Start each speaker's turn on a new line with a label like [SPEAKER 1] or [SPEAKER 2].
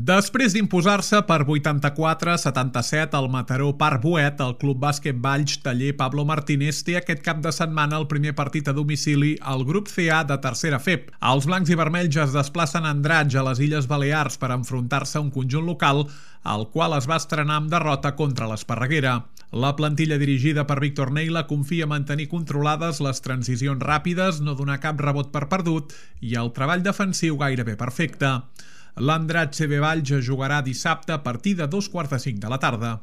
[SPEAKER 1] Després d'imposar-se per 84-77 al Mataró Parc Boet, el Club Bàsquet Valls Taller Pablo Martínez té aquest cap de setmana el primer partit a domicili al grup CA de tercera FEP. Els blancs i vermells es desplacen a Andratx, a les Illes Balears, per enfrontar-se a un conjunt local, al qual es va estrenar amb derrota contra l'Esparreguera. La plantilla dirigida per Víctor Neila confia en mantenir controlades les transicions ràpides, no donar cap rebot per perdut i el treball defensiu gairebé perfecte. L'Andratx CB Valls jugarà dissabte a partir de 2:45 de la tarda.